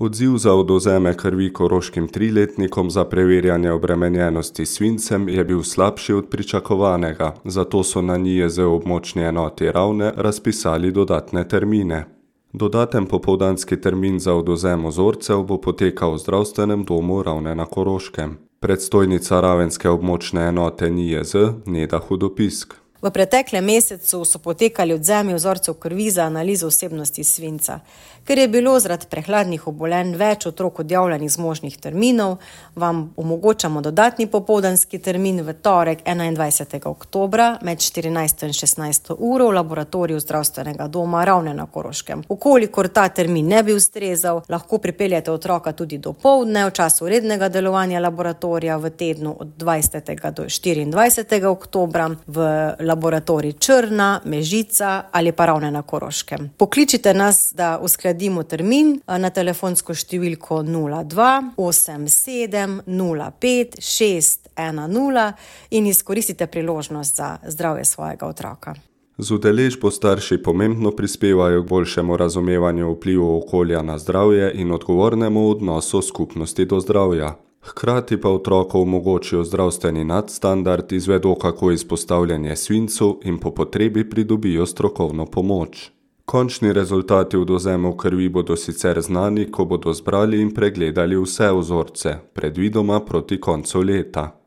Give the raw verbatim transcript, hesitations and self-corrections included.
Odziv za odvzeme krvi koroškim triletnikom za preverjanje obremenjenosti s svincem je bil slabši od pričakovanega, zato so na N I J Z območni enoti Ravne razpisali dodatne termine. Dodaten popoldanski termin za odvzem vzorcev bo potekal v zdravstvenem domu Ravne na Koroškem. Predstojnica ravenske območne enote N I J Z Neda Hudopisk. V preteklem mesecu so potekali odvzemi vzorcev krvi za analizo vsebnosti svinca. Ker je bilo zaradi prehladnih obolenj več otrok odjavljenih z možnih terminov, vam omogočamo dodatni popoldanski termin v torek enaindvajsetega oktobra med štirinajsto in šestnajsto uro v laboratoriju zdravstvenega doma Ravne na Koroškem. Ukolikor ta termin ne bi ustrezal, lahko pripeljete otroka tudi dopoldne v času rednega delovanja laboratorija v tednu od dvajsetega do štiriindvajsetega oktobra v laboratorij Črna, Mežica ali pa Ravne na Koroškem. Pokličite nas, da uskladimo termin na telefonsko številko nula dva osem sedem nula pet šest ena nula in izkoristite priložnost za zdravje svojega otroka. Z udeležbo starši pomembno prispevajo k boljšemu razumevanju vplivov okolja na zdravje in odgovornemu odnosu skupnosti do zdravja. Hkrati pa otrokom omogočijo zdravstveni nadstandard, izvedo kako izpostavljanje svincu in po potrebi pridobijo strokovno pomoč. Končni rezultati odvzemov krvi bodo sicer znani, ko bodo zbrali in pregledali vse vzorce, predvidoma proti koncu leta.